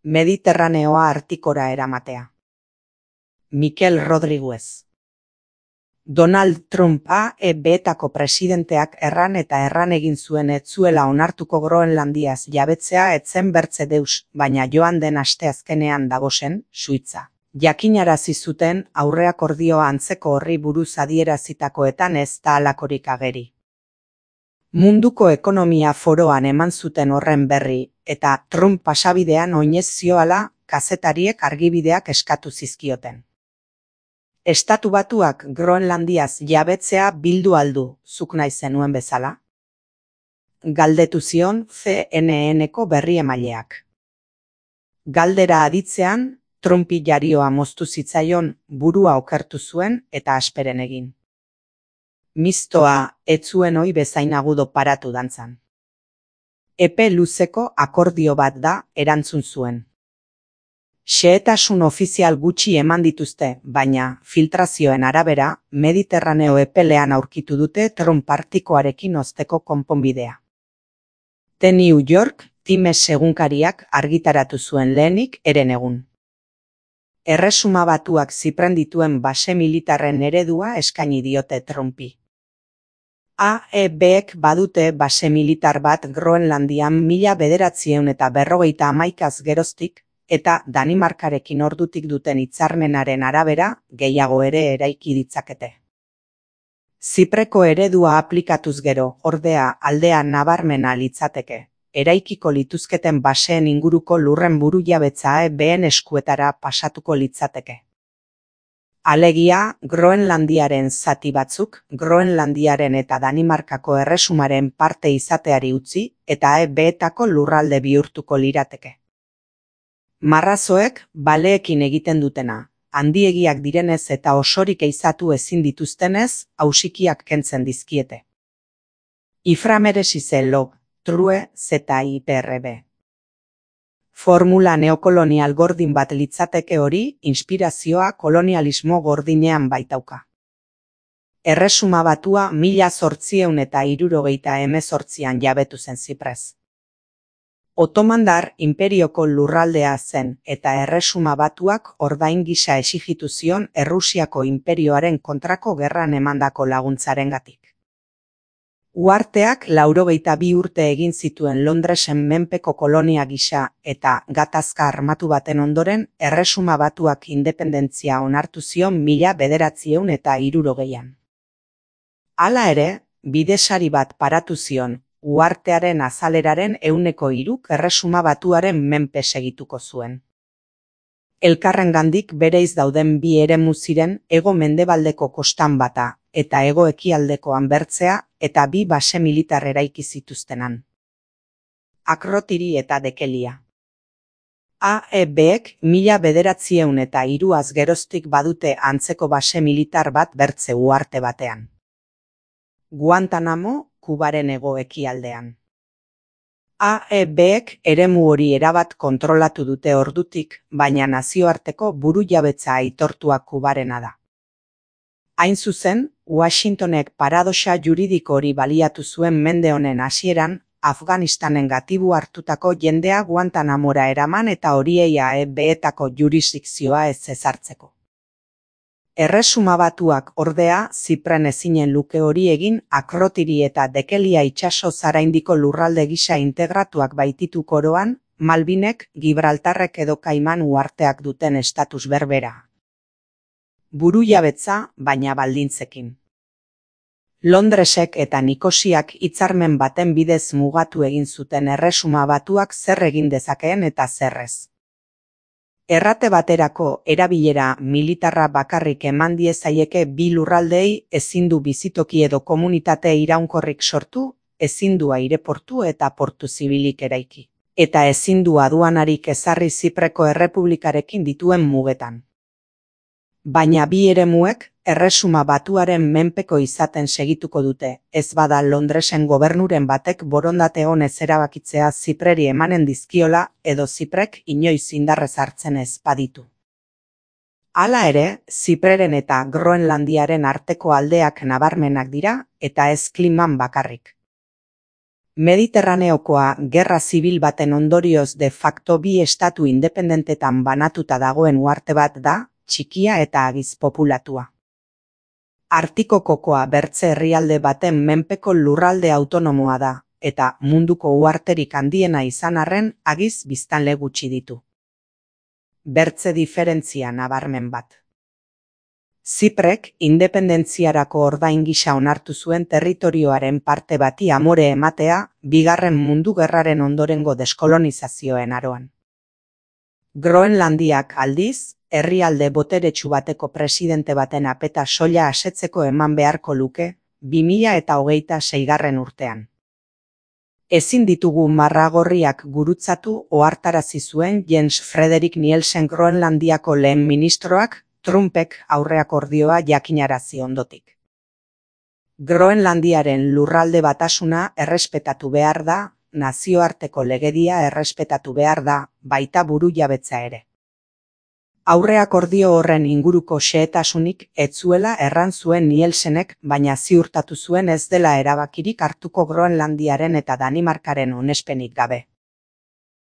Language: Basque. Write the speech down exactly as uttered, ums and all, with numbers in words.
Mediterraneoa Artikora eramatea. Mikel Rodriguez. Donald Trump A E B-etako presidenteak erran eta erran egin zuen ez zuela onartuko Groenlandiaz jabetzea etzen bertze deus, baina joan den asteazkenean dagozen, Suitza. Jakinarazi zuten aurreakordioa antzeko horri buruz adierazitakoetan ez da halakorik ageri. Munduko ekonomia foroan eman zuten horren berri, eta Trump pasabidean oinez zioala kazetariek argibideak eskatu zizkioten. Estatu Batuak Groenlandiaz jabetzea bildu aldu, zuk nahi zenuen bezala? Galdetu zion C N N-ko berri emaileak. Galdera aditzean, Trumpi jarioa moztu zitzaion, burua okertu zuen eta asperen egin. Mistoa, ez zuen ohi bezain agudo paratu dantzan. Epe luzeko akordio bat da, erantzun zuen. Xehetasun ofizial gutxi eman dituzte, baina, filtrazioen arabera, Mediterraneo epelean aurkitu dute Trump partikoarekin osteko konponbidea. The New York Times egunkariak argitaratu zuen lehenik eren egun. Erresuma Batuak Zipren dituen base militarren eredua eskaini diote Trumpi. A E B-ek badute base militar bat Groenlandian mila bederatziehun eta berrogeita hamaikaz geroztik, eta Danimarkarekin ordutik duten hitzarmenaren arabera, gehiago ere eraiki ditzakete. Zipreko eredua aplikatuz gero, ordea, aldea nabarmena litzateke, eraikiko lituzketen baseen inguruko lurren burujabetza A E B-en eskuetara pasatuko litzateke. Alegia, Groenlandiaren zati batzuk, Groenlandiaren eta Danimarkako erresumaren parte izateari utzi, eta A E B-etako lurralde bihurtuko lirateke. Marrazoek, baleekin egiten dutena, handiegiak direnez eta osorik eizatu ezin dituztenez, ausikiak kentzen dizkiete. Iframeresize log, true, zeta I P R B. Formula neokolonial gordin bat litzateke hori, inspirazioa kolonialismo gordinean baitauka. Erresuma Batua mila zortziehun eta hirurogeita hemezortzian jabetu zen Ziprez. Otomandar inperioko lurraldea zen eta Erresuma Batuak ordain gisa exijitu zion Errusiako inperioaren kontrako gerran emandako laguntzarengatik. Uharteak laurogeita bi urte egin zituen Londresen menpeko kolonia gisa eta gatazka armatu baten ondoren Erresuma Batuak independentzia onartu zion mila bederatziehun eta hirurogeian. Hala ere, bidesari bat paratu zion, uhartearen azaleraren ehuneko hiruk Erresuma Batuaren menpe segituko zuen. Elkarrengandik bereiz dauden bi eremu ziren hego mendebaldeko kostan bata eta hego ekialdekoan bertzea eta bi base militar eraiki zituztenan. Akrotiri eta Dekelia. A E B-ek mila bederatziehun eta hiruaz geroztik badute antzeko base militar bat bertze uharte batean. Guantanamo, Kubaren hego ekialdean. A E B-ek eremu hori erabat kontrolatu dute ordutik, baina nazioarteko burujabetza aitortua Kubarena da. Hain zuzen, Washingtonek paradoxa juridiko hori baliatu zuen mende honen hasieran, Afganistanen gatibu hartutako jendea Guantanamora eraman eta horiei A E B-etako jurisdikzioa ez ezartzeko. Erresuma Batuak ordea Zipren ezinen luke hori egin Akrotiri eta Dekelia itsaso zaraindiko lurralde gisa integratuak baititu koroan, Malbinek, Gibraltarrek edo Kaiman uharteak duten estatus berbera. Burujabetza, baina baldintzekin. Londresek eta Nikosiak hitzarmen baten bidez mugatu egin zuten Erresuma Batuak zer egin dezakeen eta zerrez. Errate baterako erabilera militarra bakarrik eman diezaieke bi lurraldeei ezin du bizitoki edo komunitate iraunkorrik sortu, ezin du aireportu eta portu zibilik eraiki, eta ezin du aduanarik ezarri Zipreko Errepublikarekin dituen mugetan. Baina bi eremuek Erresuma Batuaren menpeko izaten segituko dute, ez bada Londresen gobernuren batek borondate honez erabakitzea Zipreri emanen dizkiola edo Ziprek inoiz indarrez hartzen ez baditu. Hala ere, Zipreren eta Groenlandiaren arteko aldeak nabarmenak dira eta ez kliman bakarrik. Mediterraneokoa gerra zibil baten ondorioz de facto bi estatu independentetan banatuta dagoen uharte bat da, txikia eta agiz populatua. Arktikoko bertze herrialde baten menpeko lurralde autonomoa da, eta munduko uharterik handiena izan arren agiz biztanle gutxi ditu. Bertze diferentzia nabarmen bat. Ziprek independentziarako ordain gisa onartu zuen territorioaren parte bati amore ematea bigarren mundu gerraren ondorengo deskolonizazioen aroan. Groenlandiak aldiz, herrialde boteretsu bateko presidente baten apeta soila asetzeko eman beharko luke, bi mila eta hogeita seigarren urtean. Ezin ditugu marragorriak gurutzatu ohartarazi zuen Jens Frederik Nielsen Groenlandiako lehen ministroak Trumpek aurreakordioa jakinarazi ondotik. Groenlandiaren lurralde batasuna errespetatu behar da, nazioarteko legedia errespetatu behar da, baita burujabetza ere. Aurreakordio horren inguruko xehetasunik ez zuela erran zuen Nielsenek, baina ziurtatu zuen ez dela erabakirik hartuko Groenlandiaren eta Danimarkaren onespenik gabe.